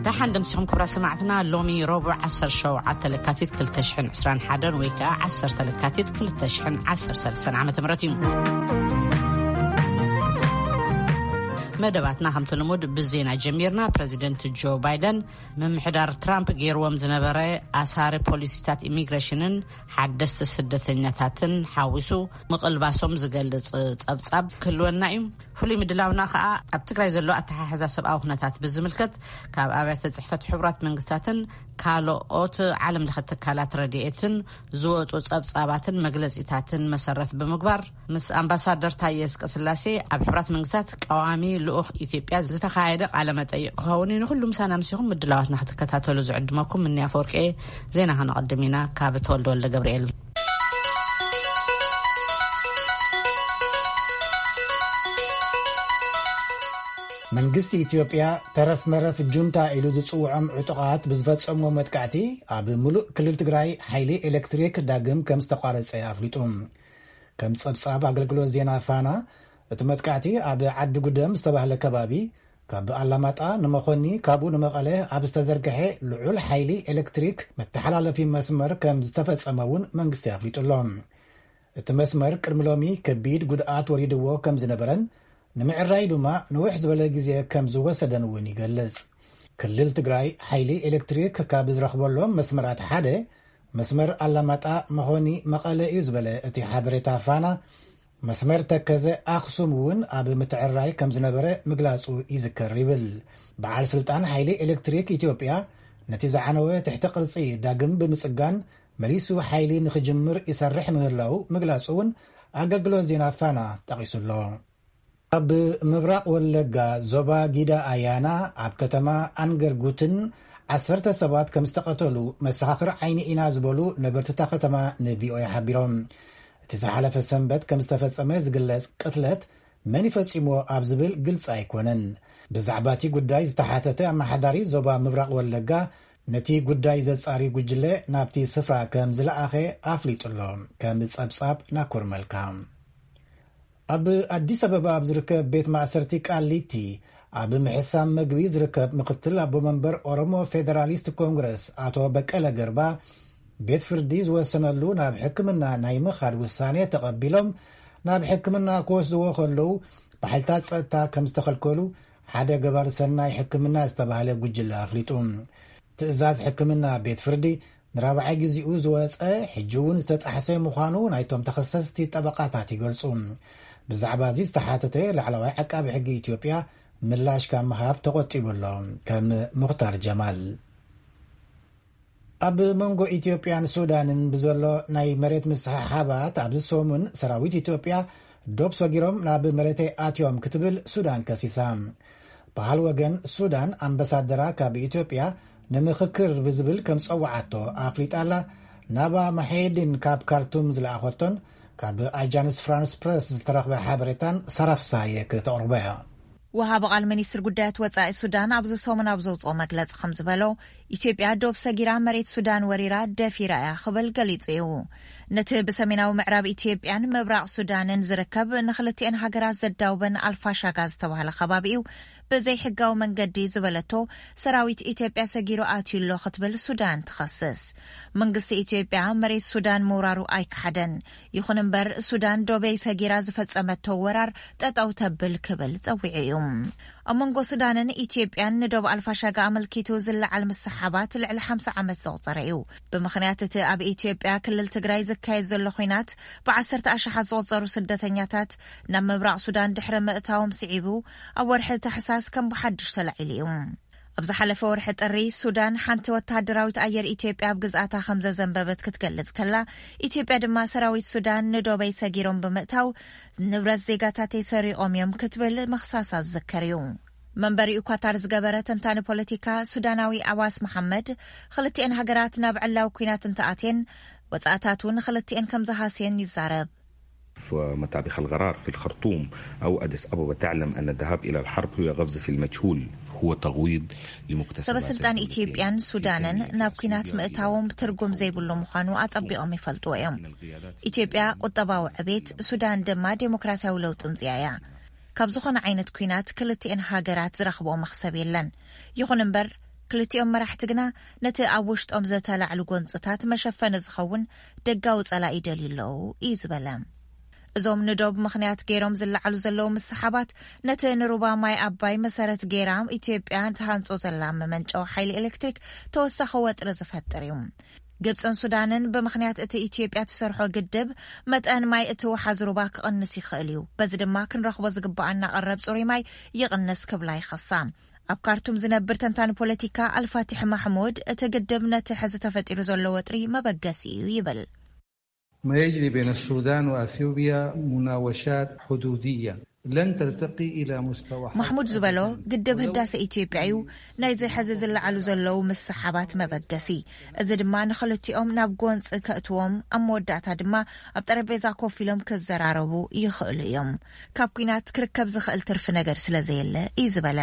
ደሓን ደምሲኹም ክብራ ሰማዕትና። ሎሚ ረቡዕ ዓሰርተ ሸውዓተ ለካቲት ክልተ ሽሕን ዕስራን ሓደን ወይ ከዓ ዓሰርተ ለካቲት ክልተ ሽሕን ዓሰርተ ሰለስተን ዓመተ ምህረት እዩ። መደባትና ከምቲ ልሙድ ብዜና ጀሚርና። ፕረዚደንት ጆ ባይደን ምምሕዳር ትራምፕ ገይርዎም ዝነበረ ኣሳሪ ፖሊሲታት ኢሚግሬሽንን ሓደስቲ ስደተኛታትን ሓዊሱ ምቕልባሶም ዝገልጽ ጸብጻብ ክህልወና እዩ። ፍሉይ ምድላውና ከኣ ኣብ ትግራይ ዘሎ ኣተሓሕዛ ሰብኣዊ ኩነታት ብዝምልከት ካብ ኣብያተ ጽሕፈት ሕቡራት መንግስታትን ካልኦት ዓለም ለኸ ትካላት ረድኤትን ዝወጹ ጸብጻባትን መግለጺታትን መሰረት ብምግባር ምስ ኣምባሳደር ታየ ኣስቀስላሴ ኣብ ሕቡራት መንግስታት ቀዋሚ ልኡኽ ኢትዮጵያ ዝተኻየደ ቃለ መጠይቕ ክኸውን እዩ። ንኹሉ ምሳና ምሲኹም ምድላዋትና ክትከታተሉ ዝዕድመኩም ምንያ ፈወርቂ። ዜና ከነቐድም ኢና ካብ ተወልደ ወልደ ገብርኤል። መንግስቲ ኢትዮጵያ ተረፍ መረፍ ጁንታ ኢሉ ዝጽውዖም ዕጡቓት ብዝፈጸምዎ መጥቃዕቲ ኣብ ምሉእ ክልል ትግራይ ሓይሊ ኤሌክትሪክ ዳግም ከም ዝተቋረጸ ኣፍሊጡ። ከም ጸብጻብ ኣገልግሎት ዜና ፋና፣ እቲ መጥቃዕቲ ኣብ ዓዲ ጉደም ዝተባህለ ከባቢ ካብ ኣላማጣ ንመኾኒ ካብኡ ንመቐለ ኣብ ዝተዘርግሐ ልዑል ሓይሊ ኤሌክትሪክ መተሓላለፊ መስመር ከም ዝተፈጸመ እውን መንግስቲ ኣፍሊጡ ኣሎ። እቲ መስመር ቅድሚ ሎሚ ከቢድ ጉድኣት ወሪድዎ ከም ዝነበረን ንምዕራይ ድማ ንውሕ ዝበለ ግዜ ከም ዝወሰደን እውን ይገልጽ። ክልል ትግራይ ሓይሊ ኤሌክትሪክ ካብ ዝረኽበሎም መስመራት ሓደ መስመር ኣላማጣ መኾኒ መቐለ እዩ ዝበለ እቲ ሓበሬታ ፋና፣ መስመር ተከዘ ኣኽሱም እውን ኣብ ምትዕራይ ከም ዝነበረ ምግላጹ ይዝከር ይብል። በዓል ስልጣን ሓይሊ ኤሌክትሪክ ኢትዮጵያ ነቲ ዝዓነወ ትሕቲ ቅርጺ ዳግም ብምጽጋን መሊሱ ሓይሊ ንኽጅምር ይሰርሕ ምህላው ምግላጹ እውን ኣገልግሎት ዜና ፋና ጠቒሱ ኣሎ። ኣብ ምብራቕ ወለጋ ዞባ ጊዳ ኣያና ኣብ ከተማ ኣንገርጉትን ዓሰርተ ሰባት ከም ዝተቐተሉ መሰኻኽር ዓይኒ ኢና ዝበሉ ነበርትታ ከተማ ንቪኦኤ ሓቢሮም። እቲ ዝሓለፈ ሰንበት ከም ዝተፈጸመ ዝግለጽ ቅትለት መን ይፈጺምዎ ኣብ ዝብል ግልጺ ኣይኮነን። ብዛዕባ እቲ ጉዳይ ዝተሓተተ ኣመሓዳሪ ዞባ ምብራቕ ወለጋ ነቲ ጉዳይ ዘጻሪ ጉጅለ ናብቲ ስፍራ ከም ዝለኣኸ ኣፍሊጡ ኣሎ። ከም ጸብጻብ ናኮር መልካ። ኣብ ኣዲስ ኣበባ ኣብ ዝርከብ ቤት ማእሰርቲ ቃሊቲ ኣብ ምሕሳም መግቢ ዝርከብ ምክትል ኣቦ መንበር ኦሮሞ ፌደራሊስት ኮንግረስ ኣቶ በቀለ ገርባ ቤት ፍርዲ ዝወሰነሉ ናብ ሕክምና ናይ ምኻድ ውሳኔ ተቐቢሎም ናብ ሕክምና ክወስድዎ ከለዉ ብሓይልታት ጸጥታ ከም ዝተኸልከሉ ሓደ ገባር ሰናይ ሕክምና ዝተባህለ ጉጅለ ኣፍሊጡ። ትእዛዝ ሕክምና ቤት ፍርዲ ንራብዓይ ግዜኡ ዝወጸ ሕጂ እውን ዝተጣሕሰ ምዃኑ ናይቶም ተኸሰስቲ ጠበቓታት ይገልጹ። ብዛዕባ እዚ ዝተሓተተ ላዕለዋይ ዓቃቢ ሕጊ ኢትዮጵያ ምላሽ ካብ ምሃብ ተቖጢቡ ኣሎ። ከም ሙኽታር ጀማል። ኣብ መንጎ ኢትዮጵያን ሱዳንን ብዘሎ ናይ መሬት ምስሕሓባት ኣብዚ ሰሙን ሰራዊት ኢትዮጵያ ዶብ ሰጊሮም ናብ መሬተይ ኣትዮም ክትብል ሱዳን ከሲሳ። በሃል ወገን ሱዳን ኣምባሳደራ ካብ ኢትዮጵያ ንምኽክር ብዝብል ከም ጸውዓቶ ኣፍሊጣ ኣላ። ናባ መሐየዲን ካብ ካርቱም ዝለኣኸቶን ካብ ኣጃንስ ፍራንስ ፕረስ ዝተረኽበ ሓበሬታን ሰራፍሳየ ከተቕርቦ እያ። ወሃቢ ቃል ሚኒስትር ጉዳያት ወጻኢ ሱዳን ኣብዚ ሰሙን ኣብ ዘውፅኦ መግለፂ ከም ዝበሎ፣ ኢትዮጵያ ዶብ ሰጊራ መሬት ሱዳን ወሪራ ደፊራ እያ ክብል ገሊጹ እዩ። ነቲ ብሰሜናዊ ምዕራብ ኢትዮጵያን ምብራቕ ሱዳንን ዝርከብ ንክልቲኤን ሃገራት ዘዳውበን ኣልፋሻጋ ዝተባህለ ከባቢ እዩ ብዘይሕጋዊ መንገዲ ዝበለቶ ሰራዊት ኢትዮጵያ ሰጊሩ ኣትዩ ኣሎ ክትብል ሱዳን ትኸስስ። መንግስቲ ኢትዮጵያ መሬት ሱዳን ምውራሩ ኣይከሓደን። ይኹን እምበር ሱዳን ዶበይ ሰጊራ ዝፈጸመቶ ወራር ጠጠው ተብል ክብል ጸዊዑ እዩ። ኣብ መንጎ ሱዳንን ኢትዮጵያን ንዶብ ኣልፋሻጋ ኣመልኪቱ ዝለዓል ምስሓባት ልዕሊ ሓምሳ ዓመት ዘቑጸረ እዩ። ብምኽንያት እቲ ኣብ ኢትዮጵያ ክልል ትግራይ ዝካየድ ዘሎ ኹናት ብዓሰርተ ኣሽሓት ዝቑጸሩ ስደተኛታት ናብ ምብራቕ ሱዳን ድሕሪ ምእታዎም ስዒቡ ኣብ ወርሒ ታሕሳስ ከም ብሓድሽ ተላዒሉ እዩ። ኣብ ዝሓለፈ ወርሒ ጥሪ ሱዳን ሓንቲ ወተሃደራዊት ኣየር ኢትዮጵያ ኣብ ግዝኣታ ከም ዘዘንበበት ክትገልጽ ከላ፣ ኢትዮጵያ ድማ ሰራዊት ሱዳን ንዶበይ ሰጊሮም ብምእታው ንብረት ዜጋታተይ ሰሪቖም እዮም ክትብል ምኽሳሳ ዝዝከር እዩ። መንበሪኡ ኳታር ዝገበረ ተንታኒ ፖለቲካ ሱዳናዊ ኣዋስ መሓመድ፣ ክልቲኤን ሃገራት ናብ ዕላዊ ኲናት እንተኣትየን ወጻእታት እውን ክልቲኤን ከም ዝሃስየን ይዛረብ። متى بخ القرار في الخرطوم أو أديس أبابا تعلم أن الذهاب إلى الحرب هو قفز في المجهول، هو تغويض لمكتسبات ሰበስልጣን ኢትዮጵያን ሱዳንን ናብ ኲናት ምእታዎም ትርጉም ዘይብሉ ምዃኑ ኣጸቢቖም ይፈልጥዎ እዮም። ኢትዮጵያ ቁጠባዊ ዕቤት፣ ሱዳን ድማ ዴሞክራሲያዊ ለውጢ ምጽኣ እያ። ካብ ዝኾነ ዓይነት ኲናት ክልቲኤን ሃገራት ዝረኽብኦ መኽሰብ የለን። ይኹን እምበር ክልቲኦም መራሕቲ ግና ነቲ ኣብ ውሽጦም ዘተላዕሉ ጎንፅታት መሸፈኒ ዝኸውን ደጋዊ ጸላኢ ይደልዩ ኣለዉ እዩ ዝበለ። እዞም ንዶብ ምኽንያት ገይሮም ዝለዓሉ ዘለዉ ምስሓባት፣ ነቲ ንሩባ ማይ ኣባይ መሰረት ገይራ ኢትዮጵያ ትሃንጾ ዘላ መመንጨዊ ሓይሊ ኤሌክትሪክ ተወሳኺ ወጥሪ ዝፈጥር እዩ። ግብጽን ሱዳንን ብምኽንያት እቲ ኢትዮጵያ ትሰርሖ ግድብ፣ መጠን ማይ እቲ ወሓዚ ሩባ ክቕንስ ይኽእል እዩ፣ በዚ ድማ ክንረኽቦ ዝግብኣና ቀረብ ጽሩይ ማይ ይቕንስ ክብላ ይኸሳ። ኣብ ካርቱም ዝነብር ተንታኒ ፖለቲካ ኣልፋቲሕ ማሕሙድ፣ እቲ ግድብ ነቲ ሕዚ ተፈጢሩ ዘሎ ወጥሪ መበገሲ እዩ ይብል። ما يجري بين السودان وأثيوبيا مناوشات حدودية لن ترتقي إلى مستوى ማሕሙድ ዝበሎ፣ ግድብ ህዳሰ ኢትዮጵያ እዩ ናይዚ ሕዚ ዝለዓሉ ዘለዉ ምስሓባት መበገሲ። እዚ ድማ ንኽልቲኦም ናብ ጎንፂ ከእትዎም፣ ኣብ መወዳእታ ድማ ኣብ ጠረጴዛ ኮፍ ኢሎም ክዘራረቡ ይኽእሉ እዮም። ካብ ኲናት ክርከብ ዝኽእል ትርፊ ነገር ስለ ዘየለ እዩ ዝበለ።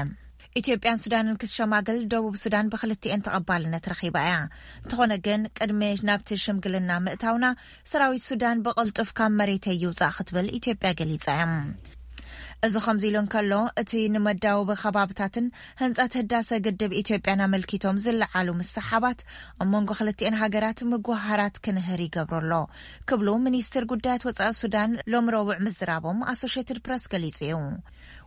ኢትዮጵያን ሱዳንን ክሸማገል፣ ደቡብ ሱዳን ብክልቲኤን ተቐባልነት ረኺባ እያ። እንተኾነ ግን፣ ቅድሚ ናብቲ ሽምግልና ምእታውና፣ ሰራዊት ሱዳን ብቕልጡፍ ካብ መሬተይ ይውጻእ ክትብል ኢትዮጵያ ገሊጻ እያ። እዚ ከምዚ ኢሉ እንከሎ፣ እቲ ንመዳወቢ ከባብታትን ህንጸት ህዳሰ ግድብ ኢትዮጵያን ኣመልኪቶም ዝለዓሉ ምስሓባት፣ ኣብ መንጎ ክልቲኤን ሃገራት ምጉሃራት ክንህር ይገብሮ ኣሎ ክብሉ ሚኒስትር ጉዳያት ወጻኢ ሱዳን ሎም ረቡዕ ምዝራቦም ኣሶሼትድ ፕረስ ገሊጹ እዩ።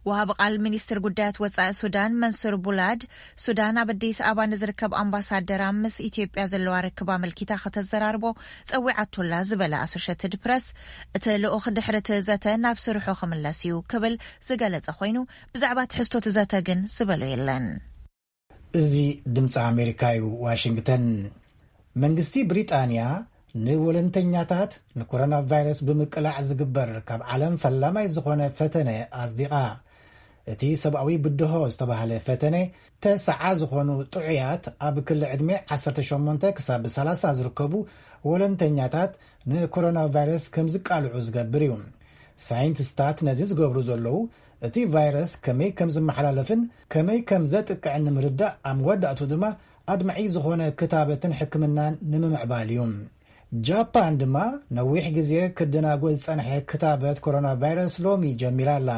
ወሃቢ ቃል ሚኒስትር ጉዳያት ወጻኢ ሱዳን መንሱር ቡላድ፣ ሱዳን ኣብ ኣዲስ ኣበባ ንዝርከብ ኣምባሳደራ ምስ ኢትዮጵያ ዘለዋ ርክብ ኣመልኪታ ከተዘራርቦ ጸዊዓቶላ ዝበለ ኣሶሸትድ ፕረስ፣ እቲ ልኡኽ ድሕሪ እቲ ዘተ ናብ ስርሑ ክምለስ እዩ ክብል ዝገለጸ ኮይኑ፣ ብዛዕባ ትሕዝቶ እቲ ዘተ ግን ዝበሎ የለን። እዚ ድምፂ ኣሜሪካ እዩ። ዋሽንግተን። መንግስቲ ብሪጣንያ ንወለንተኛታት ንኮሮና ቫይረስ ብምቅላዕ ዝግበር ካብ ዓለም ፈላማይ ዝኾነ ፈተነ ኣጽዲቓ። እቲ ሰብኣዊ ብድሆ ዝተባህለ ፈተነ፣ ተስዓ ዝኾኑ ጥዑያት ኣብ ክሊ ዕድመ ዓሰርተ ሸሞንተ ክሳብ ሰላሳ ዝርከቡ ወለንተኛታት ንኮሮና ቫይረስ ከም ዝቃልዑ ዝገብር እዩ። ሳይንቲስታት ነዚ ዝገብሩ ዘለዉ፣ እቲ ቫይረስ ከመይ ከም ዝመሓላለፍን ከመይ ከም ዘጥቅዕን ንምርዳእ፣ ኣብ መወዳእቱ ድማ ኣድማዒ ዝኾነ ክታበትን ሕክምናን ንምምዕባል እዩ። ጃፓን ድማ ነዊሕ ግዜ ክደናጎ ዝጸንሐ ክታበት ኮሮና ቫይረስ ሎሚ ጀሚራ ኣላ።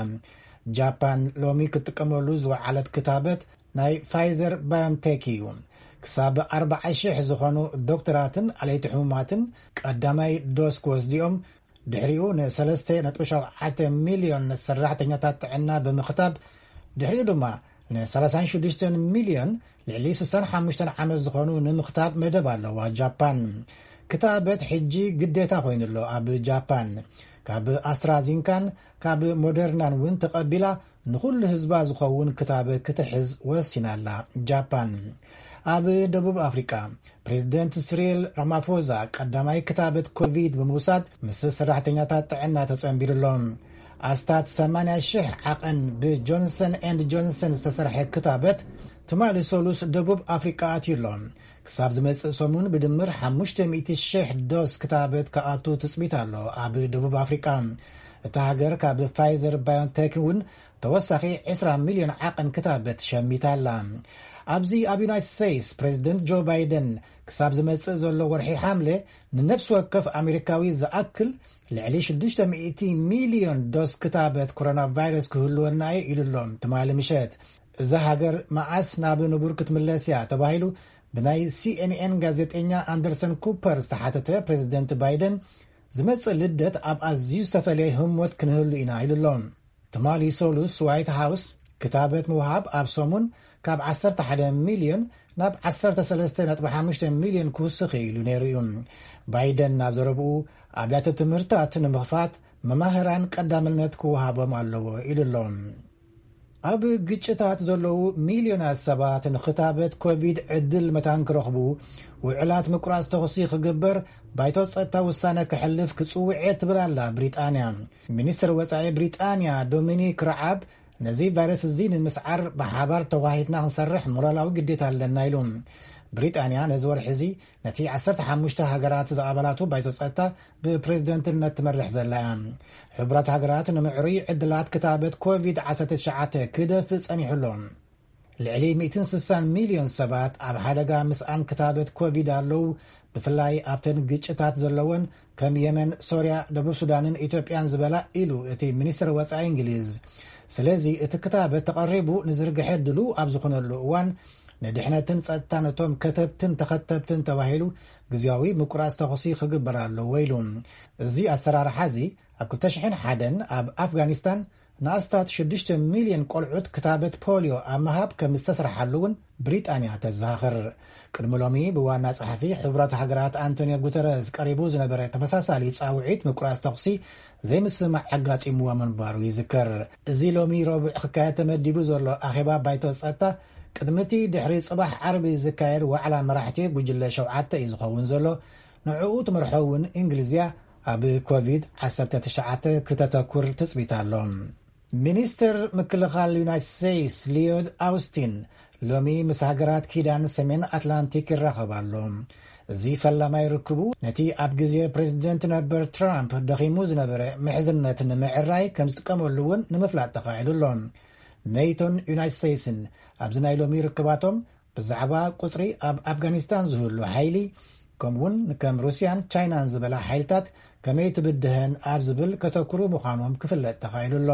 ጃፓን ሎሚ ክትጥቀመሉ ዝወዓለት ክታበት ናይ ፋይዘር ባዮንቴክ እዩ። ክሳብ ኣርባዓ ሽሕ ዝኾኑ ዶክተራትን ዓለይቲ ሕሙማትን ቀዳማይ ዶስ ክወስድኦም፣ ድሕሪኡ ንሰለስተ ነጥቢ ሸውዓተ ሚልዮን ሰራሕተኛታት ጥዕና ብምኽታብ፣ ድሕሪኡ ድማ ንሰላሳን ሽዱሽተን ሚልዮን ልዕሊ ስሳን ሓሙሽተን ዓመት ዝኾኑ ንምኽታብ መደብ ኣለዋ ጃፓን። ክታበት ሕጂ ግዴታ ኮይኑ ኣሎ ኣብ ጃፓን። ካብ ኣስትራዚንካን ካብ ሞደርናን እውን ተቐቢላ ንኹሉ ህዝባ ዝኸውን ክታበት ክትሕዝ ወሲና ኣላ ጃፓን። ኣብ ደቡብ ኣፍሪቃ፣ ፕሬዚደንት ስሪል ራማፎዛ ቀዳማይ ክታበት ኮቪድ ብምውሳድ ምስ ሰራሕተኛታት ጥዕና ተጸንቢሩ ኣሎ። ኣስታት ሰማንያ ሽሕ ዓቐን ብጆንሰን ኤንድ ጆንሰን ዝተሰርሐ ክታበት ትማሊ ሰሉስ ደቡብ ኣፍሪቃ ኣትዩ ኣሎ። ክሳብ ዝመጽእ ሰሙን ብድምር ሓሙሽተ ሚእቲ ሽሕ ዶስ ክታበት ክኣቱ ትጽቢት ኣሎ ኣብ ደቡብ ኣፍሪቃ። እታ ሃገር ካብ ፋይዘር ባዮንቴክ እውን ተወሳኺ ዕስራ ሚልዮን ዓቐን ክታበት ሸሚታ ኣላ። ኣብዚ ኣብ ዩናይትድ ስቴትስ፣ ፕሬዚደንት ጆ ባይደን ክሳብ ዝመጽእ ዘሎ ወርሒ ሓምለ ንነፍሲ ወከፍ ኣሜሪካዊ ዝኣክል ልዕሊ ሽዱሽተ ሚእቲ ሚልዮን ዶስ ክታበት ኮሮና ቫይረስ ክህልወና እዩ ኢሉ ኣሎ ትማሊ ምሸት። እዛ ሃገር መዓስ ናብ ንቡር ክትምለስ እያ ተባሂሉ ብናይ ሲኤንኤን ጋዜጠኛ ኣንደርሰን ኩፐር ዝተሓተተ ፕሬዚደንት ባይደን፣ ዝመጽእ ልደት ኣብ ኣዝዩ ዝተፈለየ ህሞት ክንህሉ ኢና ኢሉ ኣሎ። ትማሊ ሰሉስ ዋይት ሃውስ ክታበት ምውሃብ ኣብ ሰሙን ካብ ዓሰርተ ሓደ ሚልዮን ናብ ዓሰርተ ሰለስተ ነጥቢ ሓሙሽተ ሚልዮን ክውስኽ ኢሉ ነይሩ እዩ። ባይደን ናብ ዘረብኡ፣ ኣብያተ ትምህርታት ንምኽፋት መማህራን ቀዳምነት ክወሃቦም ኣለዎ ኢሉ ኣሎ። ኣብ ግጭታት ዘለዉ ሚልዮናት ሰባት ንክታበት ኮቪድ ዕድል መታን ክረኽቡ ውዕላት ምቁራጽ ተኹሲ ክግበር ባይቶ ጸጥታ ውሳነ ክሕልፍ ክጽውዕ እየ ትብል ኣላ ብሪጣንያ። ሚኒስትር ወጻኢ ብሪጣንያ ዶሚኒክ ረዓብ ነዚ ቫይረስ እዚ ንምስዓር ብሓባር ተዋሂድና ክንሰርሕ ሞራላዊ ግዴታ ኣለና ኢሉ። ብሪጣንያ ነዚ ወርሒ እዚ ነቲ ዓሰርተ ሓሙሽተ ሃገራት ዝኣባላቱ ባይቶ ጸጥታ ብፕሬዝደንትነት ትመርሕ ዘላ እያ። ሕቡራት ሃገራት ንምዕሩይ ዕድላት ክታበት ኮቪድ ዓሰርተ ትሽዓተ ክደፍእ ጸኒሑ ኣሎ። ልዕሊ ሚእትን ስሳን ሚልዮን ሰባት ኣብ ሓደጋ ምስኣን ክታበት ኮቪድ ኣለዉ፣ ብፍላይ ኣብተን ግጭታት ዘለወን ከም የመን፣ ሶርያ፣ ደቡብ ሱዳንን ኢትዮጵያን ዝበላ ኢሉ እቲ ሚኒስትር ወጻኢ እንግሊዝ። ስለዚ እቲ ክታበት ተቐሪቡ ንዝርግሐ ድሉው ኣብ ዝኾነሉ እዋን ንድሕነትን ጸጥታን እቶም ከተብትን ተኸተብትን ተባሂሉ ግዝያዊ ምቁራጽ ተኹሲ ክግበር ኣለዎ ኢሉ። እዚ ኣሰራርሓ እዚ ኣብ ክልተ ሽሕን ሓደን ኣብ ኣፍጋኒስታን ንኣስታት ሽዱሽተ ሚልዮን ቆልዑት ክታበት ፖልዮ ኣብ ምሃብ ከም ዝተስርሓሉ እውን ብሪጣንያ ተዘኻኽር። ቅድሚ ሎሚ ብዋና ጸሓፊ ሕቡራት ሃገራት ኣንቶኒዮ ጉተረዝ ቀሪቡ ዝነበረ ተመሳሳሊ ጻውዒት ምቁራጽ ተኹሲ ዘይምስማዕ ኣጋጢምዎ ምንባሩ ይዝከር። እዚ ሎሚ ረቡዕ ክካየድ ተመዲቡ ዘሎ ኣኼባ ባይቶ ጸጥታ፣ ቅድሚቲ ድሕሪ ጽባሕ ዓርቢ ዝካየድ ዋዕላ መራሕቲ ጉጅለ ሸውዓተ እዩ ዝኸውን ዘሎ። ንዕኡ ትመርሖ እውን እንግሊዝያ ኣብ ኮቪድ ዓሰርተ ትሽዓተ ክተተኩር ትጽቢት ኣሎ። ሚኒስትር ምክልኻል ዩናይትድ ስቴትስ ሊዮድ ኣውስቲን ሎሚ ምስ ሃገራት ኪዳን ሰሜን ኣትላንቲክ ይራኸብ ኣሎ። እዚ ፈላማይ ርክቡ ነቲ ኣብ ግዜ ፕሬዚደንት ነበር ትራምፕ ደኺሙ ዝነበረ ምሕዝነት ንምዕራይ ከም ዝጥቀመሉ እውን ንምፍላጥ ተኻኢሉ ኣሎ። ኔቶን ዩናይትድ ስቴትስን ኣብዚ ናይ ሎሚ ርክባቶም ብዛዕባ ቁጽሪ ኣብ ኣፍጋኒስታን ዝህሉ ሓይሊ፣ ከምኡውን ከም ሩስያን ቻይናን ዝበላ ሓይልታት ከመይ ትብድሀን ኣብ ዝብል ከተኩሩ ምዃኖም ክፍለጥ ተኻኢሉ ኣሎ።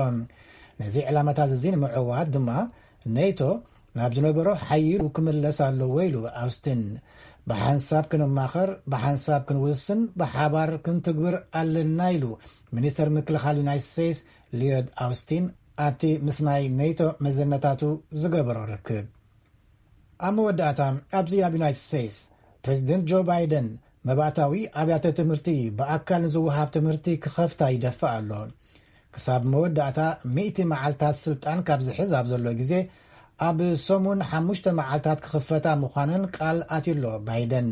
ነዚ ዕላማታት እዚ ንምዕዋት ድማ ኔቶ ናብ ዝነበሮ ሓይሉ ክምለስ ኣለዎ ኢሉ ኣውስትን። ብሓንሳብ ክንማኸር፣ ብሓንሳብ ክንውስን፣ ብሓባር ክንትግብር ኣለና ኢሉ ሚኒስተር ምክልኻል ዩናይትድ ስቴትስ ሊዮድ ኣውስቲን ኣብቲ ምስ ናይ ኔቶ መዘነታቱ ዝገበሮ ርክብ። ኣብ መወዳእታ፣ ኣብዚ ኣብ ዩናይትድ ስቴትስ ፕሬዚደንት ጆ ባይደን መባእታዊ ኣብያተ ትምህርቲ ብኣካል ንዝወሃብ ትምህርቲ ክኸፍታ ይደፍእ ኣሎ። ክሳብ መወዳእታ ሚእቲ መዓልታት ስልጣን ካብ ዝሕዝ ኣብ ዘሎ ግዜ፣ ኣብ ሰሙን ሓሙሽተ መዓልታት ክኽፈታ ምዃነን ቃል ኣትዩሎ ባይደን።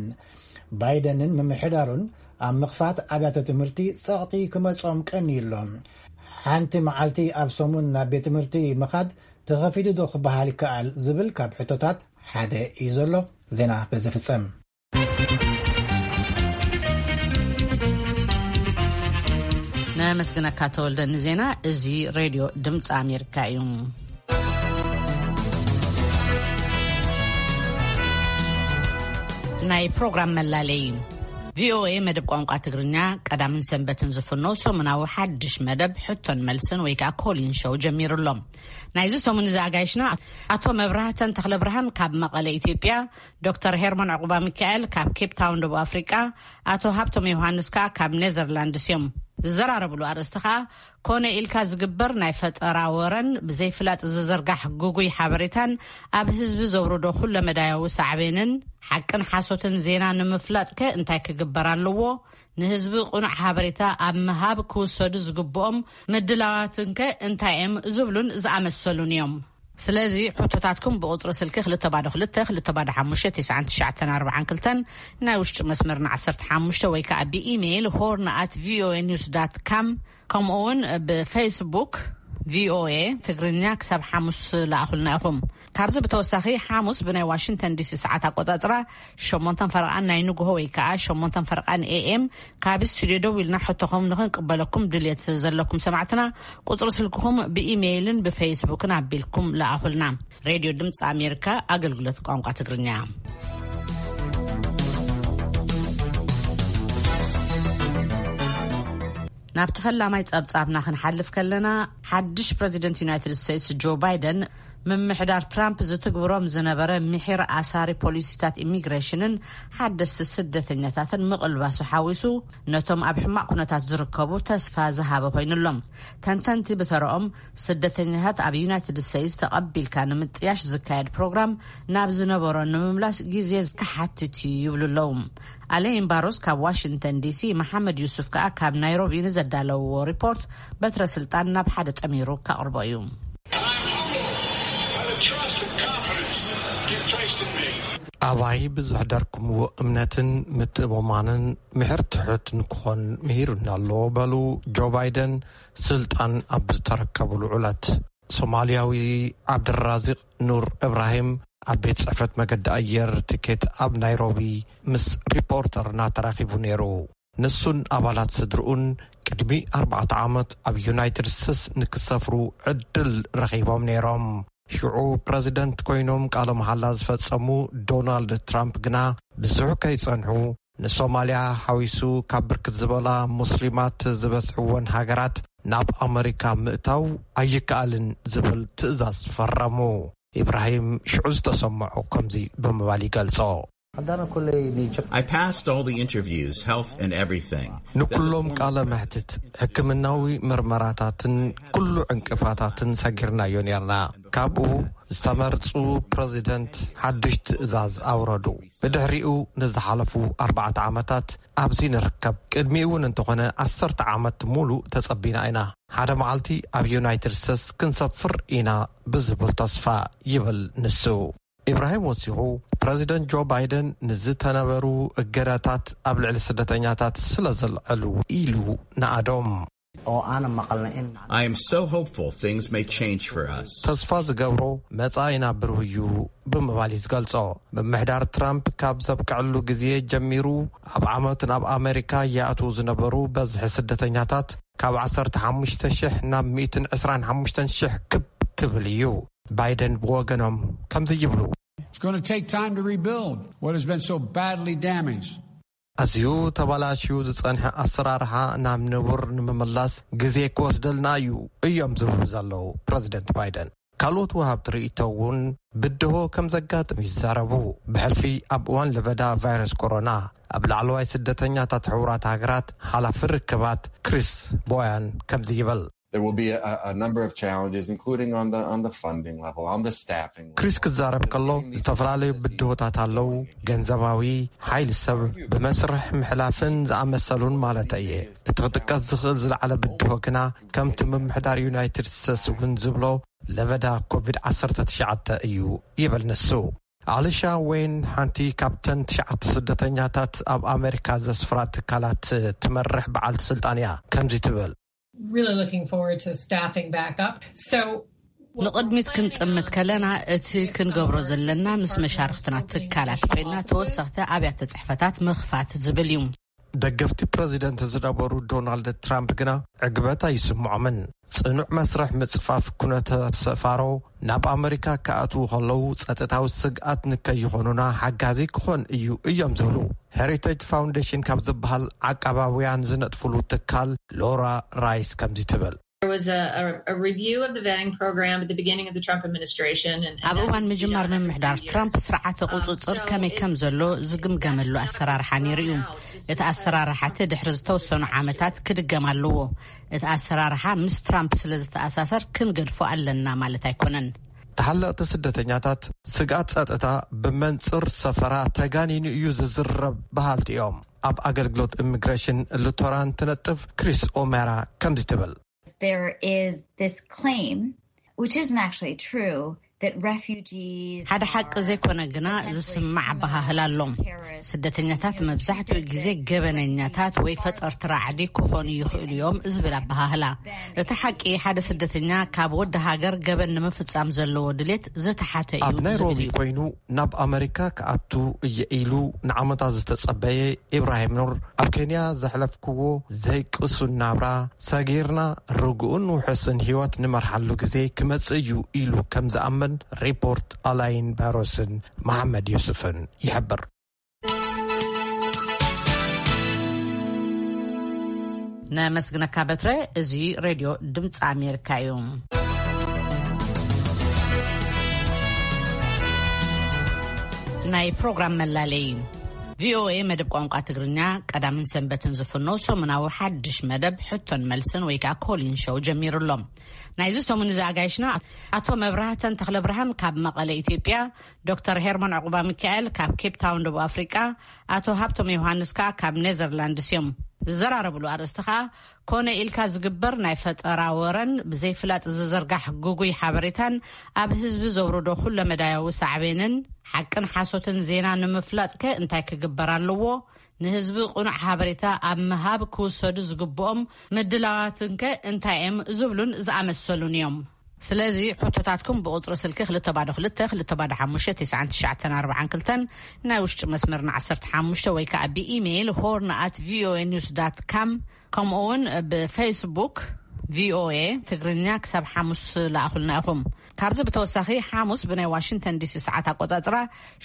ባይደንን ምምሕዳሩን ኣብ ምኽፋት ኣብያተ ትምህርቲ ጸቕጢ ክመጾም ቀንዩ ኣሎ። ሓንቲ መዓልቲ ኣብ ሰሙን ናብ ቤት ትምህርቲ ምኻድ ተኸፊቱ ዶ ክበሃል ይከኣል ዝብል ካብ ሕቶታት ሓደ እዩ ዘሎ። ዜና በዚ ፍጸም። ነመስግነካ ተወልደ ንዜና። እዚ ሬድዮ ድምፂ ኣሜሪካ እዩ። ናይ ፕሮግራም መላለይ። ቪኦኤ መደብ ቋንቋ ትግርኛ ቀዳምን ሰንበትን ዝፍኖ ሰሙናዊ ሓድሽ መደብ ሕቶን መልስን ወይ ከዓ ኮሊን ሾው ጀሚሩ ኣሎ። ናይዚ ሰሙን እዚ ኣጋይሽና ኣቶ መብራህተን ተኽለ ብርሃን ካብ መቐለ ኢትዮጵያ፣ ዶክተር ሄርሞን ዕቑባ ሚካኤል ካብ ኬፕ ታውን ደቡብ ኣፍሪቃ፣ ኣቶ ሃብቶም ዮሃንስ ከኣ ካብ ኔዘርላንድስ እዮም። ዝዘራረብሉ ኣርእስቲ ከኣ ኮነ ኢልካ ዝግበር ናይ ፈጠራ ወረን ብዘይፍላጥ ዝዝርጋሕ ግጉይ ሓበሬታን ኣብ ህዝቢ ዘውርዶ ኩለመዳያዊ ሳዕቤንን ሓቅን ሓሶትን ዜና ንምፍላጥከ እንታይ ክግበር ኣለዎ? ንህዝቢ ቅኑዕ ሓበሬታ ኣብ ምሃብ ክውሰዱ ዝግብኦም ምድላዋትንከ እንታይ እዮም? ዝብሉን ዝኣመሰሉን እዮም። ስለዚ ሕቶታትኩም ብቁፅሪ ስልኪ ክልተ ባዶ ክልተ ክልተ ባዶ ሓሙሽተ ተስዓን ትሽዓተን ኣርባዓን ክልተን፣ ናይ ውሽጢ መስመርና ዓሰርተ ሓሙሽተ ወይ ከዓ ብኢሜይል ሆርን ኣት ቪኦኤ ኒውስ ዳት ካም፣ ከምኡ እውን ብፌስቡክ ቪኦኤ ትግርኛ ክሳብ ሓሙስ ለኣኹልና ኢኹም። ካብዚ ብተወሳኺ ሓሙስ ብናይ ዋሽንግተን ዲሲ ሰዓት ኣቆፃፅራ ሸሞንተን ፈረቓን ናይ ንግሆ ወይ ከዓ ሸሞንተን ፈረቓን ኤኤም ካብ ስቱድዮ ደው ኢልና ሕቶኹም ንኽንቅበለኩም ድልየት ዘለኩም ሰማዕትና ቁፅሪ ስልክኹም ብኢሜይልን ብፌስቡክን ኣቢልኩም ለኣኹልና። ሬድዮ ድምፂ ኣሜሪካ ኣገልግሎት ቋንቋ ትግርኛ። ናብቲ ፈላማይ ጸብጻብና ክንሓልፍ ከለና፣ ሓድሽ ፕረዚደንት ዩናይትድ ስቴትስ ጆ ባይደን ምምሕዳር ትራምፕ ዝትግብሮም ዝነበረ ምሒር ኣሳሪ ፖሊሲታት ኢሚግሬሽንን ሓደስቲ ስደተኛታትን ምቕልባሱ ሓዊሱ ነቶም ኣብ ሕማቕ ኩነታት ዝርከቡ ተስፋ ዝሃበ ኮይኑሎም። ተንተንቲ ብተረኦም ስደተኛታት ኣብ ዩናይትድ ስቴትስ ተቐቢልካ ንምጥያሽ ዝካየድ ፕሮግራም ናብ ዝነበሮ ንምምላስ ግዜ ክሓትት እዩ ይብሉ ኣለዉ። ኣሌን ባሮስ ካብ ዋሽንግተን ዲሲ፣ መሓመድ ዩሱፍ ከኣ ካብ ናይሮቢ ንዘዳለውዎ ሪፖርት በትረ ስልጣን ናብ ሓደ ጠሚሩ ከቕርቦ እዩ። ኣባይ ብዘሕደርኩምዎ እምነትን ምትእምማንን ምሕር ትሑት ንክኾን ምሂሩኒ ኣሎ በሉ ጆ ባይደን ስልጣን ኣብ ዝተረከብሉ ዕለት። ሶማልያዊ ዓብድራዚቕ ኑር እብራሂም ኣብ ቤት ጽሕፈት መገዲ ኣየር ትኬት ኣብ ናይሮቢ ምስ ሪፖርተርና ተራኺቡ ነይሩ። ንሱን ኣባላት ስድርኡን ቅድሚ ኣርባዕተ ዓመት ኣብ ዩናይትድ ስቴትስ ንክሰፍሩ ዕድል ረኺቦም ነይሮም። ሽዑ ፕረዚደንት ኮይኖም ቃለ መሓላ ዝፈጸሙ ዶናልድ ትራምፕ ግና ብዙሕ ከይጸንሑ ንሶማልያ ሓዊሱ ካብ ብርክት ዝበላ ሙስሊማት ዝበዝሕወን ሃገራት ናብ ኣመሪካ ምእታው ኣይከኣልን ዝብል ትእዛዝ ፈረሙ። ኢብራሂም ሽዑ ዝተሰምዖ ከምዚ ብምባል ይገልጾ። I passed all the interviews, health and everything. ንኩሎም ቃለ መሕትት፣ ሕክምናዊ ምርመራታትን ኩሉ ዕንቅፋታትን ሰጊርናዮ ነርና። ካብኡ ዝተመርጹ ፕረዚደንት ሓድሽ ትእዛዝ ኣውረዱ። ብድሕሪኡ ንዝሓለፉ ኣርባዕተ ዓመታት ኣብዚ ንርከብ። ቅድሚኡ እውን እንተኾነ ዓሰርተ ዓመት ሙሉእ ተጸቢና ኢና። ሓደ መዓልቲ ኣብ ዩናይትድ ስቴትስ ክንሰፍር ኢና ብዝብል ተስፋ ይብል ንሱ። ኢብራሂም ወሲኹ፣ ፕረዚደንት ጆ ባይደን ንዝተነበሩ እገዳታት ኣብ ልዕሊ ስደተኛታት ስለ ዘልዐሉ ኢሉ ንኣዶም። Oo aanan maqalna in I am so hopeful things may change for us. ተስፋ ዝገብሮ መጻኢና ብሩህ እዩ ብምባል እዩ ዝገልጾ። ምምሕዳር ትራምፕ ካብ ዘብቅዐሉ ግዜ ጀሚሩ ኣብ ዓመት ናብ ኣሜሪካ ይኣትዉ ዝነበሩ በዝሒ ስደተኛታት ካብ ዓሰርተ ሓሙሽተ ሽሕ ናብ ሚእትን ዕስራን ሓሙሽተን ሽሕ ክብ ክብል እዩ። ባይደን ብወገኖም ከምዚ ይብሉ። It's going to take time to rebuild what has been so badly damaged. ኣዝዩ ተባላሽዩ ዝጸንሐ ኣሰራርሓ ናብ ንቡር ንምምላስ ግዜ ክወስደልና እዩ እዮም ዝብሉ ዘለዉ ፕረዚደንት ባይደን። ካልኦት ወሃብቲ ርእይቶ እውን ብድሆ ከም ዘጋጥም ይዛረቡ። ብሕልፊ ኣብ እዋን ለበዳ ቫይረስ ኮሮና ኣብ ላዕለዋይ ስደተኛታት ሕቡራት ሃገራት ሓላፊ ርክባት ክሪስ ቦያን ከምዚ ይብል። There will be a, a number of challenges, including on the on the funding level, on the staffing level. ክሪስ ክዛረብ ከሎ ዝተፈላለዩ ብድሆታት ኣለዉ። ገንዘባዊ፣ ሓይሊ ሰብ፣ ብመስርሕ ምሕላፍን ዝኣመሰሉን ማለት እየ። እቲ ክጥቀስ ዝኽእል ዝለዓለ ብድሆ ግና ከምቲ ምምሕዳር ዩናይትድ ስቴትስ እውን ዝብሎ ለበዳ ኮቪድ ዓሰርተ ትሽዓተ እዩ ይብል ንሱ። ኣሊሻ ወይን ሓንቲ ካብተን ትሽዓተ ስደተኛታት ኣብ ኣሜሪካ ዘስፍራ ትካላት ትመርሕ በዓልቲ ስልጣን እያ። ከምዚ ትብል። Really looking forward to staffing back up. So ንቕድሚት ክንጥምት ከለና እቲ ክንገብሮ ዘለና ምስ መሻርክትና ትካላት ኮይና ተወሰኽቲ ኣብያተ ጽሕፈታት ምኽፋት ዝብል እዩ። ደገፍቲ ፕረዚደንት ዝነበሩ ዶናልድ ትራምፕ ግና ዕግበት ኣይስምዖምን። ጽኑዕ መስርሕ ምጽፋፍ ኩነተ ሰፋሮ ናብ ኣመሪካ ክኣትዉ ከለዉ ጸጥታዊ ስግኣት ንከይኾኑና ሓጋዚ ክኾን እዩ እዮም ዝብሉ። ሄሪቴጅ ፋውንዴሽን ካብ ዝበሃል ዓቃባውያን ዝነጥፍሉ ትካል ሎራ ራይስ ከምዚ ትብል። There was a, a, a review of the vetting program at the beginning of the Trump administration. ኣብ እዋን ምጅማር ምምሕዳር ትራምፕ ስርዓተ ቁፅፅር ከመይ ከም ዘሎ ዝግምገመሉ ኣሰራርሓ ነይሩ እዩ። እቲ ኣሰራርሓ እቲ ድሕሪ ዝተወሰኑ ዓመታት ክድገም ኣለዎ። እቲ ኣሰራርሓ ምስ ትራምፕ ስለ ዝተኣሳሰር ክንገድፎ ኣለና ማለት ኣይኮነን። ተሓለቕቲ ስደተኛታት ስግኣት ጸጥታ ብመንጽር ሰፈራ ተጋኒኑ እዩ ዝዝረብ በሃልቲ እዮም። ኣብ ኣገልግሎት ኢሚግሬሽን ሉቶራን ትነጥፍ ክሪስ ኦሜራ ከምዚ ትብል። There is this claim, which isn't actually true, that refugees ሓደ ሓቂ ዘይኮነ ግና ዝስማዕ ኣበሃህላ ኣሎ። ስደተኛታት መብዛሕትኡ ግዜ ገበነኛታት ወይ ፈጠርቲ ራዕዲ ክኾኑ ይኽእሉ እዮም ዝብል ኣበሃህላ። እቲ ሓቂ ሓደ ስደተኛ ካብ ወዲ ሃገር ገበን ንምፍጻም ዘለዎ ድሌት ዝተሓተ እዩ ኣብ ዝብል ናይሮቢ እዩ። ኮይኑ ናብ ኣመሪካ ክኣቱ እየ ኢሉ ንዓመታት ዝተጸበየ ኢብራሂም ኑር፣ ኣብ ኬንያ ዘሕለፍክዎ ዘይቅሱን ናብራ ሰጊርና ርጉእን ውሑስን ህይወት ንመርሓሉ ግዜ ክመጽእ እዩ ኢሉ ከም ዝኣምን ሪፖርት ኣላይን ባሮስን መሓመድ ዩሱፍን ይሕብር። ነመስግነካ በትረ። እዚ ሬድዮ ድምፂ ኣሜሪካ እዩ። ናይ ፕሮግራም መላለይ። ቪኦኤ መደብ ቋንቋ ትግርኛ ቀዳምን ሰንበትን ዝፍኖ ሰሙናዊ ሓድሽ መደብ ሕቶን መልስን ወይ ከዓ ኮሊን ሾው ጀሚሩ ኣሎ። ናይዚ ሰሙን እዚ ኣጋይሽና ኣቶ መብራህተን ተኽለብርሃን ካብ መቐለ ኢትዮጵያ፣ ዶክተር ሄርሞን ዕቑባ ሚካኤል ካብ ኬፕ ታውን ደቡብ ኣፍሪቃ፣ ኣቶ ሃብቶም ዮሃንስ ከዓ ካብ ኔዘርላንድስ እዮም። ዝዘራረብሉ ኣርእስቲ ከዓ ኮነ ኢልካ ዝግበር ናይ ፈጠራ ወረን ብዘይፍላጥ ዝዝርጋሕ ግጉይ ሓበሬታን ኣብ ህዝቢ ዘውርዶ ኩለመዳያዊ ሳዕቤንን ሓቅን ሓሶትን ዜና ንምፍላጥከ እንታይ ክግበር ኣለዎ? ንህዝቢ ቅኑዕ ሓበሬታ ኣብ ምሃብ ክውሰዱ ዝግብኦም ምድላዋትንከ እንታይ እዮም? ዝብሉን ዝኣመሰሉን እዮም። ስለዚ ሕቶታትኩም ብቁፅሪ ስልኪ ክልተ ባዶ ክልተ ክልተ ባዶ ሓሙሽተ ትስዓን ትሽዓተን ኣርባዓን ክልተን፣ ናይ ውሽጢ መስመርና ዓሰርተ ሓሙሽተ ወይ ከዓ ብኢሜይል ሆርን ኣት ቪኦኤ ኒውስ ዳት ካም፣ ከምኡ እውን ብፌስቡክ ቪኦኤ ትግርኛ ክሳብ ሓሙስ ለኣኹልና ኢኹም። ካብዚ ብተወሳኺ ሓሙስ ብናይ ዋሽንግተን ዲሲ ሰዓት ኣቆጻጽራ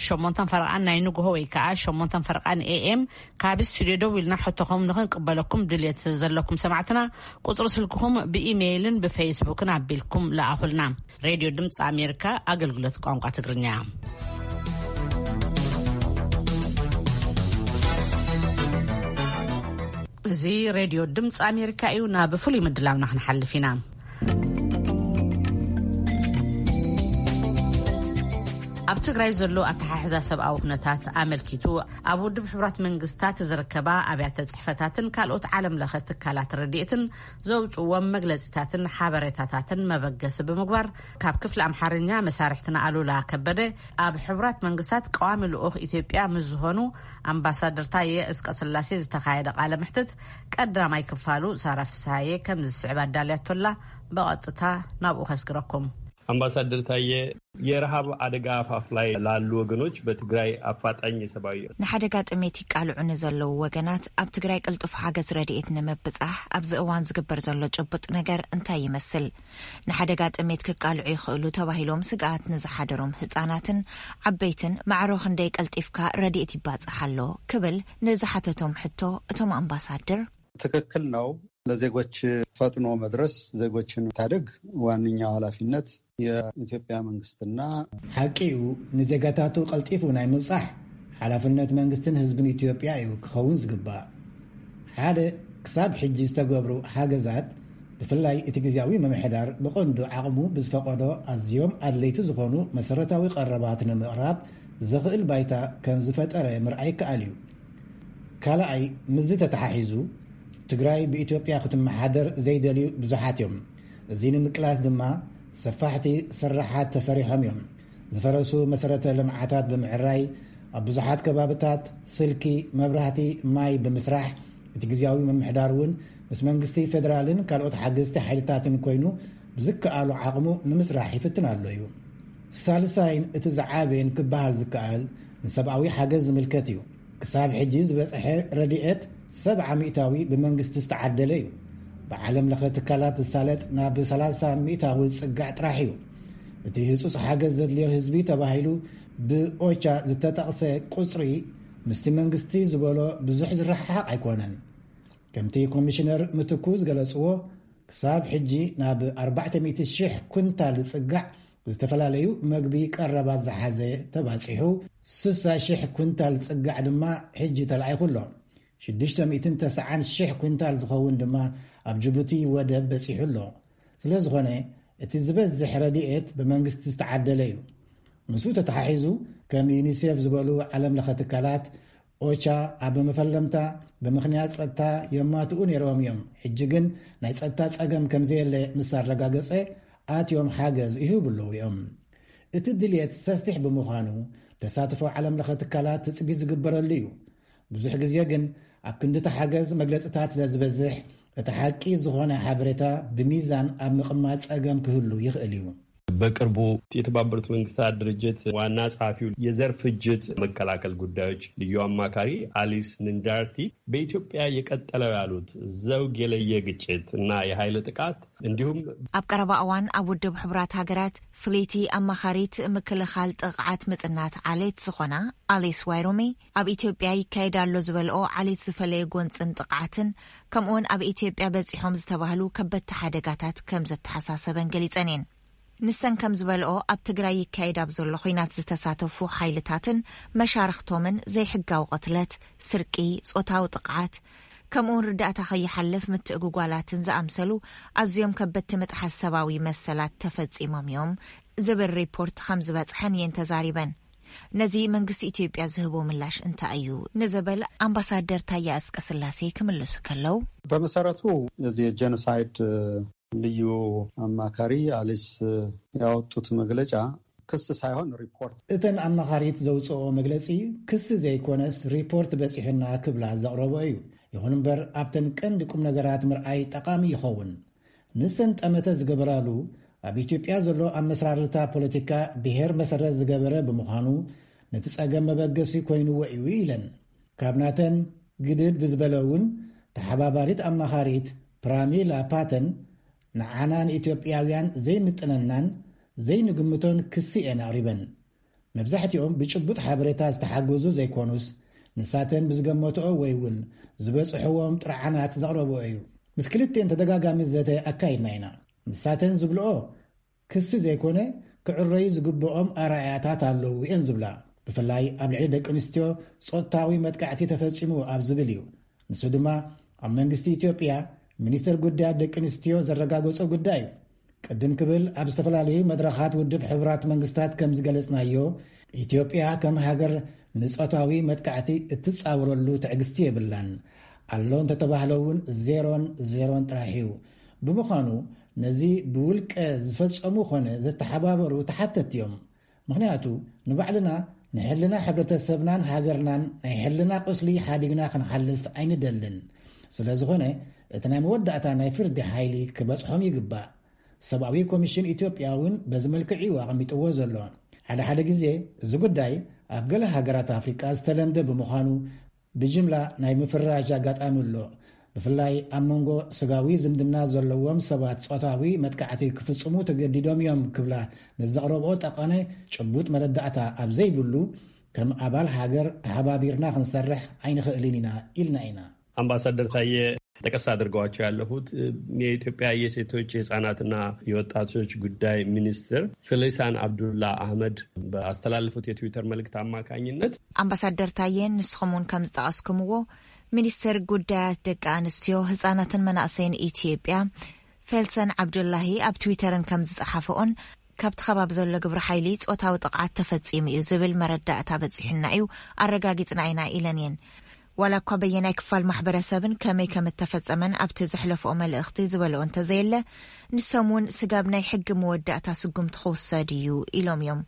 ሸሞንተን ፈረቓን ናይ ንግሆ ወይ ከዓ ሸሞንተን ፈረቓን ኤኤም ካብ ስቱዲዮ ደው ኢልና ሕቶኹም ንኽንቅበለኩም ድልየት ዘለኩም ሰማዕትና ቁጽሪ ስልክኹም ብኢሜይልን ብፌስቡክን ኣቢልኩም ለኣኹልና። ሬድዮ ድምፂ ኣሜሪካ ኣገልግሎት ቋንቋ ትግርኛ። እዚ ሬድዮ ድምፂ ኣሜሪካ እዩ። ናብ ፍሉይ ምድላውና ክንሓልፍ ኢና። ኣብ ትግራይ ዘሎ ኣተሓሕዛ ሰብኣዊ ኩነታት ኣመልኪቱ ኣብ ውድብ ሕቡራት መንግስታት ዝርከባ ኣብያተ ጽሕፈታትን ካልኦት ዓለም ለኸ ትካላት ረድኤትን ዘውፅዎም መግለፂታትን ሓበሬታታትን መበገሲ ብምግባር ካብ ክፍሊ ኣምሓርኛ መሳርሕትና ኣሉላ ከበደ ኣብ ሕቡራት መንግስታት ቀዋሚ ልኡኽ ኢትዮጵያ ምስ ዝኾኑ ኣምባሳደር ታየ እስቀ ስላሴ ዝተኻየደ ቃለ መሕትት ቀዳማይ ክፋሉ ሳራ ፍስሃየ ከም ዝስዕብ ኣዳልያቶላ። ብቐጥታ ናብኡ ከስግረኩም። ኣምባሳደር ታየ፣ የረሃብ ኣደጋ ኣፋፍ ላይ ላሉ ወገኖች በትግራይ አፋጣኝ የሰብአዊ ንሓደጋ ጥሜት ይቃልዑ ንዘለዉ ወገናት ኣብ ትግራይ ቅልጡፍ ሓገዝ ረድኤት ንምብጻሕ ኣብዚ እዋን ዝግበር ዘሎ ጭቡጥ ነገር እንታይ ይመስል? ንሓደጋ ጥሜት ክቃልዑ ይኽእሉ ተባሂሎም ስግኣት ንዝሓደሮም ህጻናትን ዓበይትን ማዕሮ ክንደይ ቀልጢፍካ ረድኤት ይባጻሕ ኣሎ? ክብል ንዝሓተቶም ሕቶ እቶም ኣምባሳደር ትክክል ነው። ለዜጎች ፈጥኖ መድረስ፣ ዜጎችን መታደግ ዋነኛው ኃላፊነት የኢትዮጵያ መንግስትና ሓቂ እዩ። ንዜጋታቱ ቀልጢፉ ናይ ምብጻሕ ሓላፍነት መንግስትን ህዝብን ኢትዮጵያ እዩ ክኸውን ዝግባእ። ሓደ፣ ክሳብ ሕጂ ዝተገብሩ ሓገዛት፣ ብፍላይ እቲ ግዜያዊ ምምሕዳር ብቐንዱ ዓቕሙ ብዝፈቐዶ ኣዝዮም ኣድለይቲ ዝኾኑ መሰረታዊ ቀረባት ንምቕራብ ዘኽእል ባይታ ከም ዝፈጠረ ምርኣይ ይከኣል እዩ። ካልኣይ፣ ምስዚ ተተሓሒዙ ትግራይ ብኢትዮጵያ ክትመሓደር ዘይደልዩ ብዙሓት እዮም። እዚ ንምቅላስ ድማ ሰፋሕቲ ስራሓት ተሰሪሖም እዮም። ዝፈረሱ መሰረተ ልምዓታት ብምዕራይ ኣብ ብዙሓት ከባብታት ስልኪ፣ መብራህቲ፣ ማይ ብምስራሕ እቲ ግዜያዊ ምምሕዳር እውን ምስ መንግስቲ ፌደራልን ካልኦት ሓገዝቲ ሓይልታትን ኮይኑ ብዝከኣሉ ዓቕሙ ንምስራሕ ይፍትን ኣሎ እዩ። ሳልሳይን እቲ ዝዓበየን ክበሃል ዝከኣል ንሰብኣዊ ሓገዝ ዝምልከት እዩ። ክሳብ ሕጂ ዝበጽሐ ረድኤት ሰብዓ ሚእታዊ ብመንግስቲ ዝተዓደለ እዩ። ብዓለም ለኸ ትካላት ዝሳለጥ ናብ ሰላሳ ሚእታዊ ዝጽጋዕ ጥራሕ እዩ። እቲ ህጹጽ ሓገዝ ዘድልዮ ህዝቢ ተባሂሉ ብኦቻ ዝተጠቕሰ ቁጽሪ ምስቲ መንግስቲ ዝበሎ ብዙሕ ዝረሓሓቕ ኣይኮነን። ከምቲ ኮሚሽነር ምትኩ ዝገለጽዎ፣ ክሳብ ሕጂ ናብ ኣርባዕተ ሚእቲ ሽሕ ኩንታል ዝጽጋዕ ዝተፈላለዩ መግቢ ቀረባት ዝሓዘ ተባጺሑ፣ ስሳ ሽሕ ኩንታል ዝጽጋዕ ድማ ሕጂ ተላኢኹ ኣሎ። ሽዱሽተ ሚእትን ተስዓን ሽሕ ኩንታል ዝኸውን ድማ ኣብ ጅቡቲ ወደብ በጺሑ ኣሎ። ስለ ዝኾነ፣ እቲ ዝበዝሕ ረድኤት ብመንግስቲ ዝተዓደለ እዩ። ምስኡ ተተሓሒዙ፣ ከም ዩኒሴፍ ዝበሉ ዓለም ለኸ ትካላት፣ ኦቻ ኣብ መፈለምታ ብምኽንያት ጸጥታ የማትኡ ነይሮም እዮም። ሕጂ ግን ናይ ጸጥታ ጸገም ከም ዘየለ ምስ ኣረጋገጸ፣ ኣትዮም ሓገዝ ይህቡ ኣለዉ እዮም። እቲ ድልየት ሰፊሕ ብምዃኑ፣ ተሳትፎ ዓለም ለኸ ትካላት ትጽቢት ዝግበረሉ እዩ። ብዙሕ ግዜ ግን ኣብ ክንዲ እቲ ሓገዝ መግለጽታት ስለ ዝበዝሕ፣ እቲ ሓቂ ዝኾነ ሓበሬታ ብሚዛን ኣብ ምቕማጥ ጸገም ክህሉ ይኽእል እዩ። በቅርቡ የተባበሩት መንግስታት ድርጅት ዋና ጸሐፊው የዘር ፍጅት መከላከል ጉዳዮች ልዩ አማካሪ አሊስ ንንጃርቲ በኢትዮጵያ የቀጠለው ያሉት ዘውግ የለየ ግጭት እና የኃይል ጥቃት እንዲሁም ኣብ ቀረባ እዋን ኣብ ውድብ ሕቡራት ሃገራት ፍልይቲ ኣማኻሪት ምክልኻል ጥቕዓት ምጽናት ዓሌት ዝኾና ኣሊስ ዋይሮሜ ኣብ ኢትዮጵያ ይካየድ ኣሎ ዝበልኦ ዓሌት ዝፈለየ ጎንጽን ጥቕዓትን ከምኡውን ኣብ ኢትዮጵያ በጺሖም ዝተባህሉ ከበድቲ ሓደጋታት ከም ዘተሓሳሰበን ገሊጸን እየን። ንሰን ከም ዝበልኦ ኣብ ትግራይ ይካየድ ኣብ ዘሎ ኹናት ዝተሳተፉ ሓይልታትን መሻርኽቶምን ዘይሕጋዊ ቅትለት፣ ስርቂ፣ ጾታዊ ጥቕዓት ከምኡውን ርዳእታ ከይሓልፍ ምትእጉጓላትን ዝኣምሰሉ ኣዝዮም ከበድቲ ምጥሓስ ሰብኣዊ መሰላት ተፈጺሞም እዮም ዝብል ሪፖርት ከም ዝበጽሐን እየን ተዛሪበን። ነዚ መንግስቲ ኢትዮጵያ ዝህቦ ምላሽ እንታይ እዩ ንዝብል ኣምባሳደር ታየ ኣጽቀ ስላሴ ክምልሱ ከለው በመሰረቱ እዚ ጀኖሳይድ ልዩ ኣማካሪ ኣሊስ ያወጡት መግለጫ ክስ ሳይሆን ሪፖርት። እተን ኣማኻሪት ዘውፅኦ መግለፂ ክሲ ዘይኮነስ ሪፖርት በፂሑና ክብላ ዘቕረቦ እዩ። ይኹን እምበር ኣብተን ቀንዲ ቁም ነገራት ምርኣይ ጠቓሚ ይኸውን። ንሰን ጠመተ ዝገበራሉ ኣብ ኢትዮጵያ ዘሎ ኣመስራርታ ፖለቲካ ብሄር መሰረት ዝገበረ ብምዃኑ ነቲ ፀገም መበገሲ ኮይንዎ እዩ ኢለን። ካብ ናተን ግድድ ብዝበለ እውን ተሓባባሪት ኣማኻሪት ፕራሚላ ፓተን ንዓና ንኢትዮጵያውያን ዘይምጥነናን ዘይንግምቶን ክሲ እየን ኣቕሪበን። መብዛሕትኦም ብጭቡጥ ሓበሬታ ዝተሓገዙ ዘይኮኑስ፣ ንሳተን ብዝገመትኦ ወይ እውን ዝበጽሕዎም ጥርዓናት ዘቕረብኦ እዩ። ምስ ክልቲኤን ተደጋጋሚ ዘተ ኣካይድና ኢና። ንሳተን ዝብልኦ ክሲ ዘይኮነ፣ ክዕረዩ ዝግብኦም ኣረኣእያታት ኣለዉ እየን ዝብላ። ብፍላይ ኣብ ልዕሊ ደቂ ኣንስትዮ ጾታዊ መጥቃዕቲ ተፈጺሙ ኣብ ዝብል እዩ። ንሱ ድማ ኣብ መንግስቲ ኢትዮጵያ ሚኒስትር ጉዳያት ደቂ ኣንስትዮ ዘረጋገጾ ጉዳይ እዩ። ቅድም ክብል ኣብ ዝተፈላለዩ መድረኻት ውድብ ሕቡራት መንግስታት ከም ዝገለጽናዮ፣ ኢትዮጵያ ከም ሃገር ንጾታዊ መጥቃዕቲ እትጻወረሉ ትዕግስቲ የብላን። ኣሎ እንተተባህለ እውን ዜሮን ዜሮን ጥራሕ እዩ። ብምዃኑ ነዚ ብውልቀ ዝፈጸሙ ኾነ ዘተሓባበሩ ተሓተትቲ እዮም። ምኽንያቱ ንባዕልና ንሕልና ሕብረተሰብናን ሃገርናን ናይ ሕልና ቁስሊ ሓዲግና ክንሓልፍ ኣይንደልን። ስለ ዝኾነ እቲ ናይ መወዳእታ ናይ ፍርዲ ሓይሊ ክበጽሖም ይግባእ። ሰብኣዊ ኮሚሽን ኢትዮጵያ እውን በዚ መልክዕ እዩ ኣቐሚጥዎ ዘሎ። ሓደ ሓደ ግዜ እዚ ጉዳይ ኣብ ገለ ሃገራት ኣፍሪቃ ዝተለምደ ብምዃኑ ብጅምላ ናይ ምፍርራሽ ኣጋጣሚ ኣሎ። ብፍላይ ኣብ መንጎ ስጋዊ ዝምድና ዘለዎም ሰባት ጾታዊ መጥቃዕቲ ክፍጽሙ ተገዲዶም እዮም ክብላ ንዘቕረብኦ ጠቐነ ጭቡጥ መረዳእታ ኣብ ዘይብሉ፣ ከም ኣባል ሃገር ተሓባቢርና ክንሰርሕ ኣይንኽእልን ኢና ኢልና ኢና። ኣምባሳደር ታየ፣ ጠቀስ ኣድርገዋቸው ያለፉት የኢትዮጵያ የሴቶች የህፃናትና የወጣቶች ጉዳይ ሚኒስትር ፊሊሳን አብዱላ አህመድ ባስተላለፉት የትዊተር መልእክት አማካኝነት፣ ኣምባሳደር ታየ፣ ንስኹም እውን ከም ዝጠቐስኩምዎ፣ ሚኒስትር ጉዳያት ደቂ ኣንስትዮ፣ ህፃናትን መናእሰይን ኢትዮጵያ ፌልሰን ዓብዱላሂ ኣብ ትዊተርን ከም ዝጸሓፈኦን፣ ካብቲ ከባቢ ዘሎ ግብረ ሓይሊ ጾታዊ ጥቕዓት ተፈጺሙ እዩ ዝብል መረዳእታ በጺሑና እዩ፣ ኣረጋጊጽና ኢና ኢለን እየን። ዋላ እኳ በየናይ ክፋል ማሕበረሰብን ከመይ ከም እተፈጸመን ኣብቲ ዘሕለፍኦ መልእኽቲ ዝበልኦ እንተዘየለ፣ ንሶም እውን ስጋብ ናይ ሕጊ መወዳእታ ስጉምቲ ክውሰድ እዩ ኢሎም እዮም።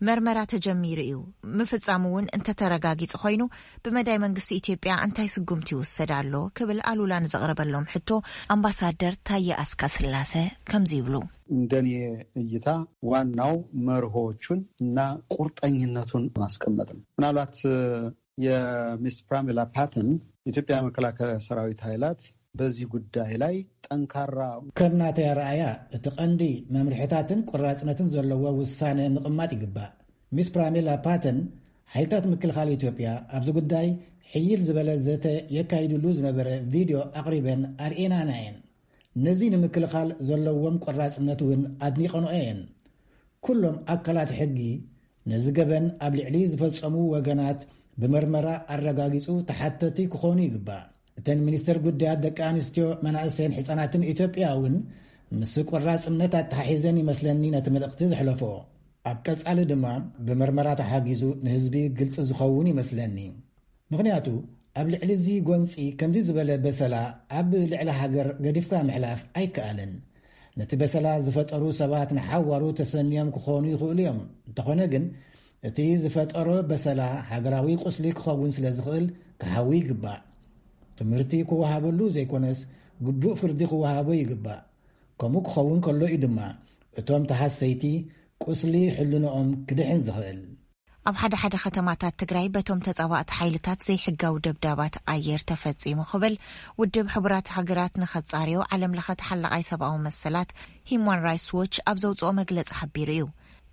መርመራ ተጀሚሩ እዩ። ምፍጻሙ እውን እንተተረጋጊጹ ኮይኑ፣ ብመዳይ መንግስቲ ኢትዮጵያ እንታይ ስጉምቲ ይውሰድ ኣሎ ክብል ኣሉላ ንዘቕረበሎም ሕቶ ኣምባሳደር ታየ ኣስቀስላሰ ከምዚ ይብሉ። እንደኔ እይታ ዋናው መርሆዎቹን እና ቁርጠኝነቱን ማስቀመጥ ነው። ምናልባት የሚስ ፕራሚላ ፓተን የኢትዮጵያ መከላከያ ሰራዊት ኃይላት በዚህ ጉዳይ ላይ ጠንካራ ከም ናተይ ኣረኣእያ፣ እቲ ቀንዲ መምርሕታትን ቆራጽነትን ዘለዎ ውሳነ ምቕማጥ ይግባእ። ሚስ ፕራሚላ ፓተን፣ ሓይልታት ምክልኻል ኢትዮጵያ ኣብዚ ጉዳይ ሕይል ዝበለ ዘተ የካይድሉ ዝነበረ ቪድዮ ኣቕሪበን ኣርእየናና እየን። ነዚ ንምክልኻል ዘለዎም ቆራጽነት እውን ኣድኒቐንኦ እየን። ኩሎም ኣካላት ሕጊ ነዚ ገበን ኣብ ልዕሊ ዝፈጸሙ ወገናት ብመርመራ ኣረጋጊጹ ተሓተቲ ክኾኑ ይግባእ። እተን ሚኒስተር ጉዳያት ደቂ ኣንስትዮ፣ መናእሰይን ሕጻናትን ኢትዮጵያ እውን ምስ ቆራጽነት ኣተሓሒዘን ይመስለኒ ነቲ መልእኽቲ ዘሕለፎ። ኣብ ቀጻሊ ድማ ብመርመራ ተሓጊዙ ንህዝቢ ግልጺ ዝኸውን ይመስለኒ። ምኽንያቱ ኣብ ልዕሊ እዚ ጎንጺ ከምዚ ዝበለ በሰላ ኣብ ልዕሊ ሃገር ገዲፍካ ምሕላፍ ኣይከኣልን። ነቲ በሰላ ዝፈጠሩ ሰባት ንሓዋሩ ተሰንዮም ክኾኑ ይኽእሉ እዮም። እንተኾነ ግን እቲ ዝፈጠሮ በሰላ ሃገራዊ ቁስሊ ክኸውን ስለ ዝኽእል ክሓዊ ይግባእ። ትምህርቲ ክወሃበሉ ዘይኮነስ ግቡእ ፍርዲ ክወሃቦ ይግባእ። ከምኡ ክኸውን ከሎ እዩ ድማ እቶም ተሃሰይቲ ቁስሊ ሕልንኦም ክድሕን ዝኽእል። ኣብ ሓደ ሓደ ከተማታት ትግራይ በቶም ተጻባእቲ ሓይልታት ዘይሕጋዊ ደብዳባት ኣየር ተፈጺሙ ክብል ውድብ ሕቡራት ሃገራት ንኸጻርዮ ዓለም ለኸ ተሓላቓይ ሰብኣዊ መሰላት ሂዩማን ራይትስ ዎች ኣብ ዘውጽኦ መግለጺ ሓቢሩ እዩ።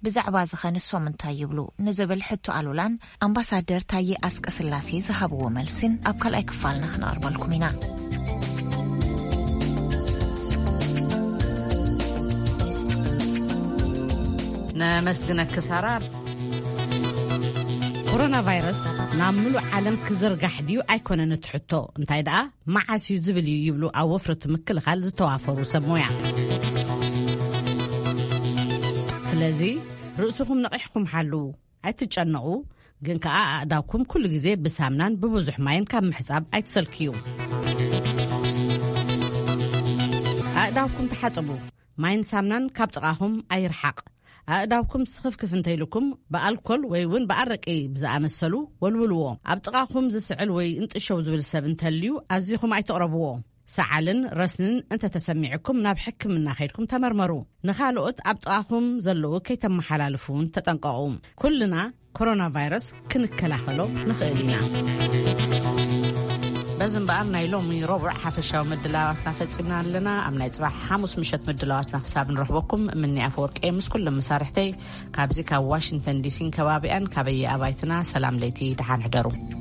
ብዛዕባ እዚ ኸ ንሶም እንታይ ይብሉ ንዝብል ሕቶ ኣሉላን ኣምባሳደር ታየ ኣስቀስላሴ ዝሃብዎ መልስን ኣብ ካልኣይ ክፋልና ክነቕርበልኩም ኢና። ነመስግነኪ ሳራ። ኮሮና ቫይረስ ናብ ምሉእ ዓለም ክዝርጋሕ ድዩ ኣይኮነን እቲ ሕቶ፣ እንታይ ደኣ መዓስ እዩ ዝብል እዩ ይብሉ ኣብ ወፍሪ እቲ ምክልኻል ዝተዋፈሩ ሰብ ሞያ። ስለዚ ርእስኹም ነቒሕኩም ሓልዉ፣ ኣይትጨነቑ፣ ግን ከኣ ኣእዳውኩም ኩሉ ግዜ ብሳምናን ብብዙሕ ማይን ካብ ምሕጻብ ኣይትሰልክዩ። ኣእዳውኩም ተሓጸቡ። ማይን ሳምናን ካብ ጥቓኹም ኣይርሓቕ። ኣእዳውኩም ስኽፍክፍ እንተኢልኩም ብኣልኮል ወይ እውን ብኣረቂ ብዝኣመሰሉ ወልውልዎ። ኣብ ጥቓኹም ዝስዕል ወይ እንጥሸው ዝብል ሰብ እንተልዩ ኣዚኹም ኣይትቕረብዎ። ሰዓልን ረስንን እንተተሰሚዕኩም ናብ ሕክምና ከይድኩም ተመርመሩ። ንኻልኦት ኣብ ጥቓኹም ዘለዉ ከይተመሓላልፉ እውን ተጠንቀቑ። ኩልና ኮሮና ቫይረስ ክንከላኸሎ ንኽእል ኢና። እዚ እምበኣር ናይ ሎሚ ረቡዕ ሓፈሻዊ ምድላዋትና ፈጺምና ኣለና። ኣብ ናይ ጽባሕ ሓሙስ ምሸት ምድላዋትና ክሳብ ንረኽበኩም፣ ምኒ ኣፈወርቂ ምስ ኩሎም መሳርሕተይ ካብዚ ካብ ዋሽንግተን ዲሲን ከባቢኣን ካበየ ኣባይትና ሰላም ለይቲ፣ ደሓን ሕደሩ።